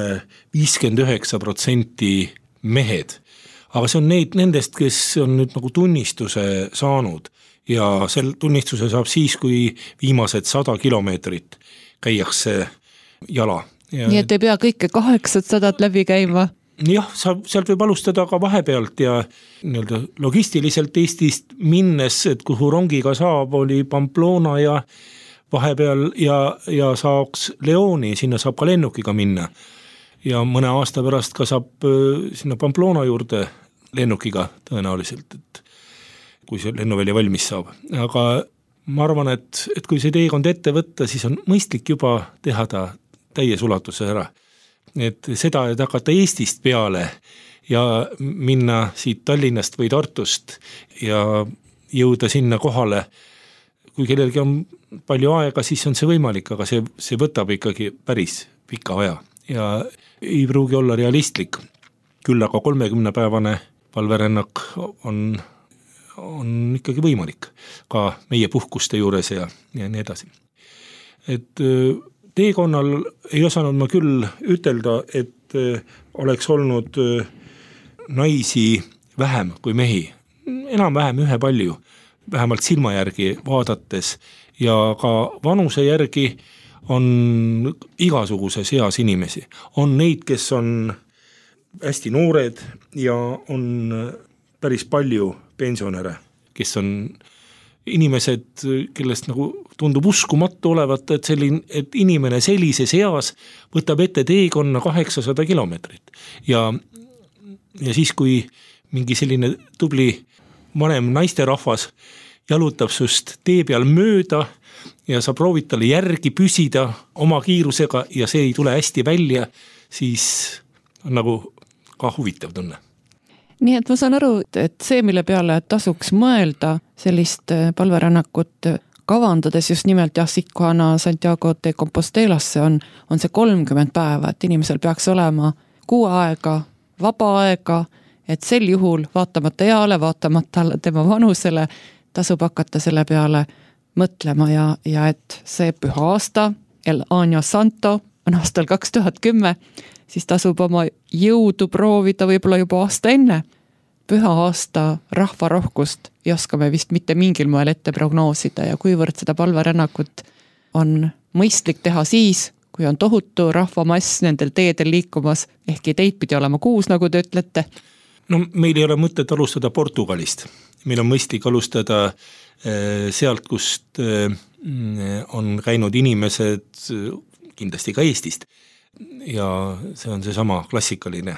59% mehed. Aga see on nendest, kes on nüüd nagu tunnistuse saanud ja sel tunnistuse saab siis, kui viimased 100 kilomeetrit käiakse jala. Nii et ei pea kõike 800 läbi käima? Jah, sealt võib alustada ka vahepealt ja logistiliselt Eestist minnes, et kuhu rongiga saab, oli Pamplona ja vahepeal ja saaks Leoni, sinna saab ka lennukiga minna. Ja mõne aasta pärast ka saab sinna Pamplona juurde lennukiga tõenäoliselt, et kui see lennuvälja valmis saab. Aga ma arvan, et kui see teekond ette võtta, siis on mõistlik juba teha ta täies ulatuses ära. Et seda, et hakata Eestist peale ja minna siit Tallinnast või Tartust ja jõuda sinna kohale, kui kellelgi on palju aega, siis on see võimalik, aga see võtab ikkagi päris pika aja ja ei pruugi olla realistlik. Küll aga 30-päevane palverännak on ikkagi võimalik ka meie puhkuste juures ja nii edasi. Et teekonnal ei osanud ma küll ütelda, et oleks olnud naisi vähem kui mehi. Enam-vähem ühepalju, vähemalt silma järgi vaadates ja ka vanuse järgi on igasuguses eas inimesi. On neid, kes on hästi noored ja on päris palju pensionäre, kes on inimesed, kellest nagu tundub uskumatu olevat, et inimene sellises eas võtab ette teekonna 800 kilomeetrit. Ja siis, kui mingi selline tubli vanem naisterahvas jalutab sust tee peal mööda ja sa proovid talle järgi püsida oma kiirusega ja see ei tule hästi välja, siis on nagu ka huvitav tunne. Nii et ma saan aru, et see, mille peale tasuks mõelda sellist palverännakut kavandades just nimelt Sikhana Santiago de Compostelasse on see 30 päeva, et inimesel peaks olema kuu aega, vaba aega, et sel juhul vaatamata eale, vaatamata tema vanusele tasub hakata selle peale mõtlema ja et see püha aasta, El Año Santo on aastal 2010, siis tasub oma jõudu proovida võib-olla juba aasta enne. Püha aasta rahvarohkust ei oska me vist mitte mingil moel ette prognoosida ja kuivõrd seda palverännakut on mõistlik teha siis, kui on tohutu rahvamass nendel teedel liikumas, ehkki teid pidi olema 6, nagu te ütlete. No meil ei ole mõtet alustada Portugalist. Meil on mõistlik alustada sealt, kust on käinud inimesed kindlasti ka Eestist. Ja see on see sama klassikaline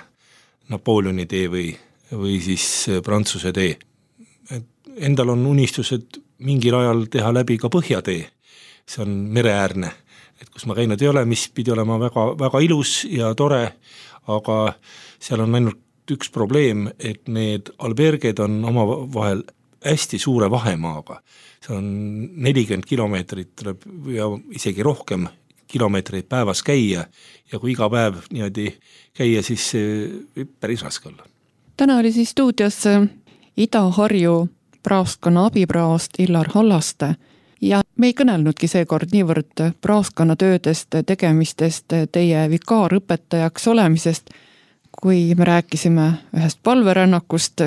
Napoleoni tee või siis Prantsuse tee. Endal on unistused mingil ajal teha läbi ka Põhjatee. See on mereäärne, et kus ma käinud ei ole, mis pidi olema väga, väga ilus ja tore, aga seal on ainult üks probleem, et need alberged on oma vahel hästi suure vahemaaga. See on 40 kilomeetrit tuleb ja isegi rohkem kilomeetreid päevas käia ja kui iga päev niimoodi käia, siis see päris raske olla. Täna oli siis stuudios Ida-Harju praoskonna abipraost Illar Hallaste ja me ei kõnelnudki seekord niivõrd praoskonna töödest, tegemistest, teie vikaarõpetajaks olemisest, kui me rääkisime ühest palverännakust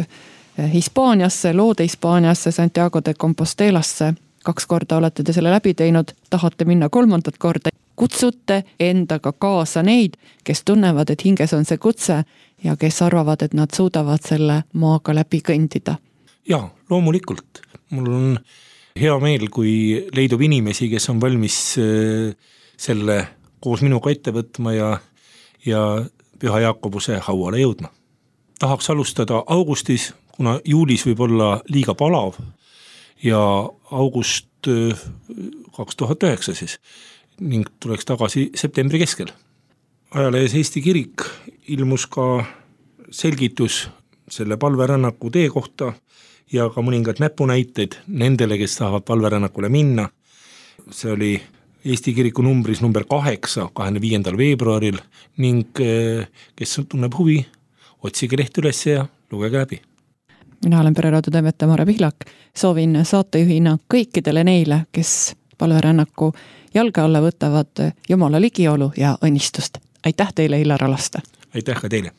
Hispaaniasse, loode Hispaaniasse, Santiago de Compostelasse. 2 korda olete te selle läbi teinud, tahate minna 3. korda. Kutsute endaga kaasa neid, kes tunnevad, et hinges on see kutse ja kes arvavad, et nad suudavad selle maaga läbi kõndida. Jaa, loomulikult. Mul on hea meel, kui leidub inimesi, kes on valmis selle koos minuga ette võtma ja Püha Jaakobuse hauale jõudma. Tahaks alustada augustis, kuna juulis võib olla liiga palav ja august 2009 siis ning tuleks tagasi septembri keskel. Ajalehes Eesti Kirik ilmus ka selgitus selle palverännaku tee kohta ja ka mõningad näpunäited nendele, kes tahavad palverännakule minna. See oli Eesti Kiriku numbris number 8, 25. veebruaril ning kes tunneb huvi, otsige leht üles ja lugege läbi. Mina olen Pereraadio toimetaja Mare Pihlak. Soovin saatejuhina kõikidele neile, kes palverännaku jalge alla võtavad Jumala ligiolu ja õnnistust. Aitäh teile, Illar Hallaste! Aitäh ka teile!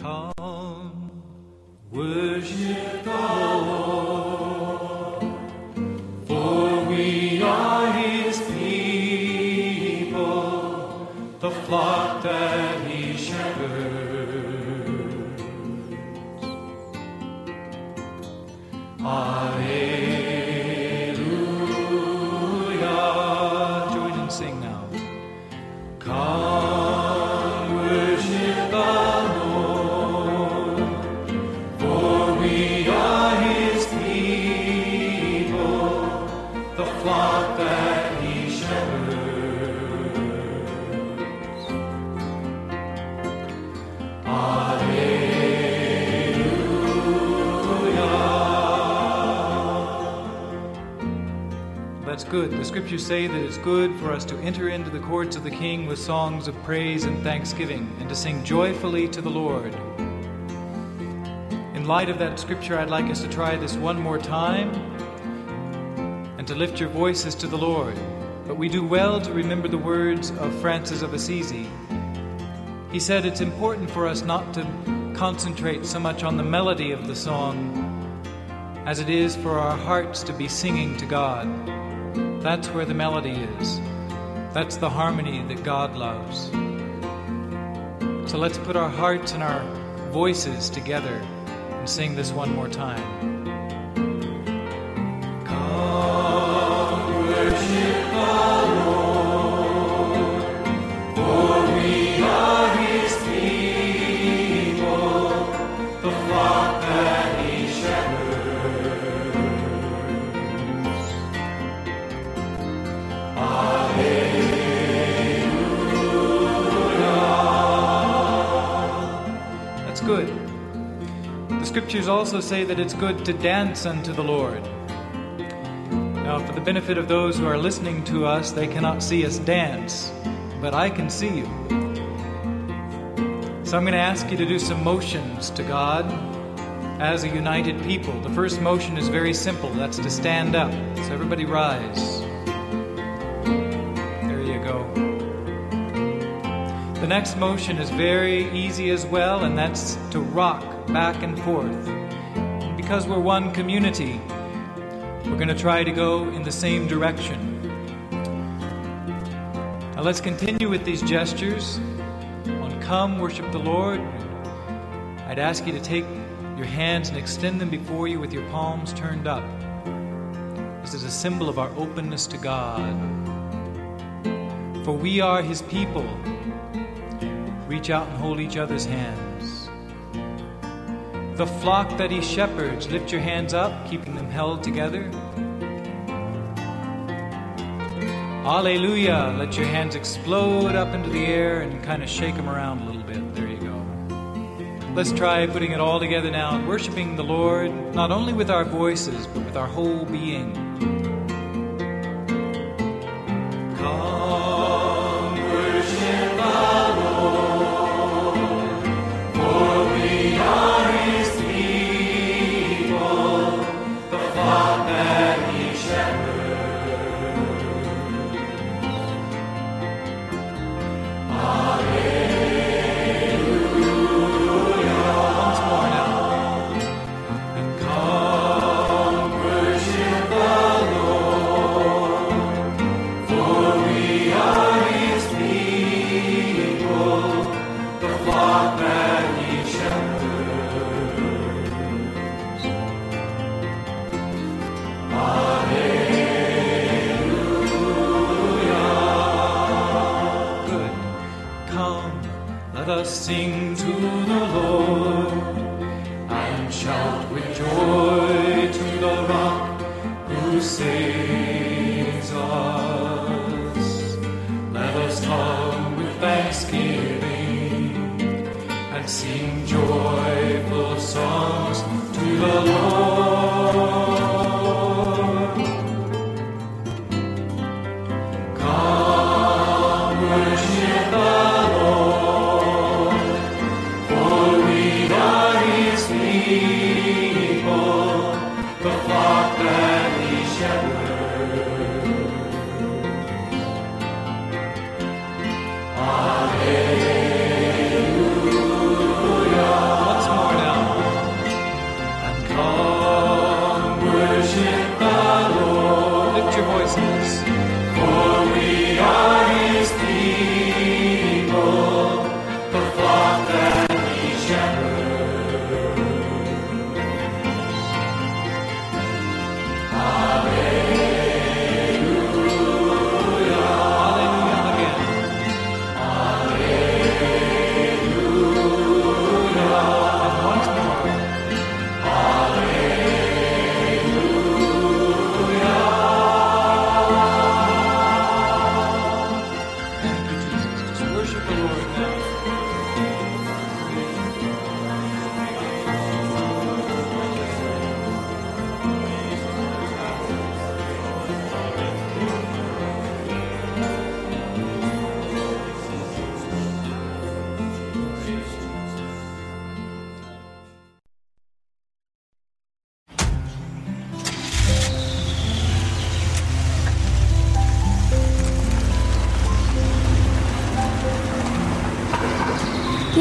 Come, worship the Lord, for we are His people, the flock that He shepherds. Alleluia. Join and sing now. Come, worship the flock that He shepherds. Alleluia. That's good. The scriptures say that it's good for us to enter into the courts of the King with songs of praise and thanksgiving and to sing joyfully to the Lord. In light of that scripture, I'd like us to try this one more time. and to lift your voices to the Lord. But we do well to remember the words of Francis of Assisi. He said it's important for us not to concentrate so much on the melody of the song as it is for our hearts to be singing to God. That's where the melody is. That's the harmony that God loves. So let's put our hearts and our voices together and sing this one more time. Come worship the Lord, for we are His people, the flock that He shepherds. Alleluia. That's good. The scriptures also say that it's good to dance unto the Lord. Now, for the benefit of those who are listening to us, they cannot see us dance, but I can see you. So I'm going to ask you to do some motions to God as a united people. The first motion is very simple. That's to stand up. So everybody rise. There you go. The next motion is very easy as well, and that's to rock back and forth. Because we're one community, we're going to try to go in the same direction. Now let's continue with these gestures. On Come, Worship the Lord, I'd ask you to take your hands and extend them before you with your palms turned up. This is a symbol of our openness to God. For we are His people. Reach out and hold each other's hands. The flock that He shepherds, lift your hands up, keeping them held together. Alleluia. Let your hands explode up into the air and kind of shake them around a little bit. There you go. Let's try putting it all together now and worshiping the Lord, not only with our voices, but with our whole being. Come, worship the Lord, for we are His people, the flock that He shepherds. Sing to the Lord and shout with joy to the rock who saves us. Let us come with thanksgiving and sing joyful songs to the Lord. Come worship the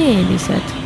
keelised.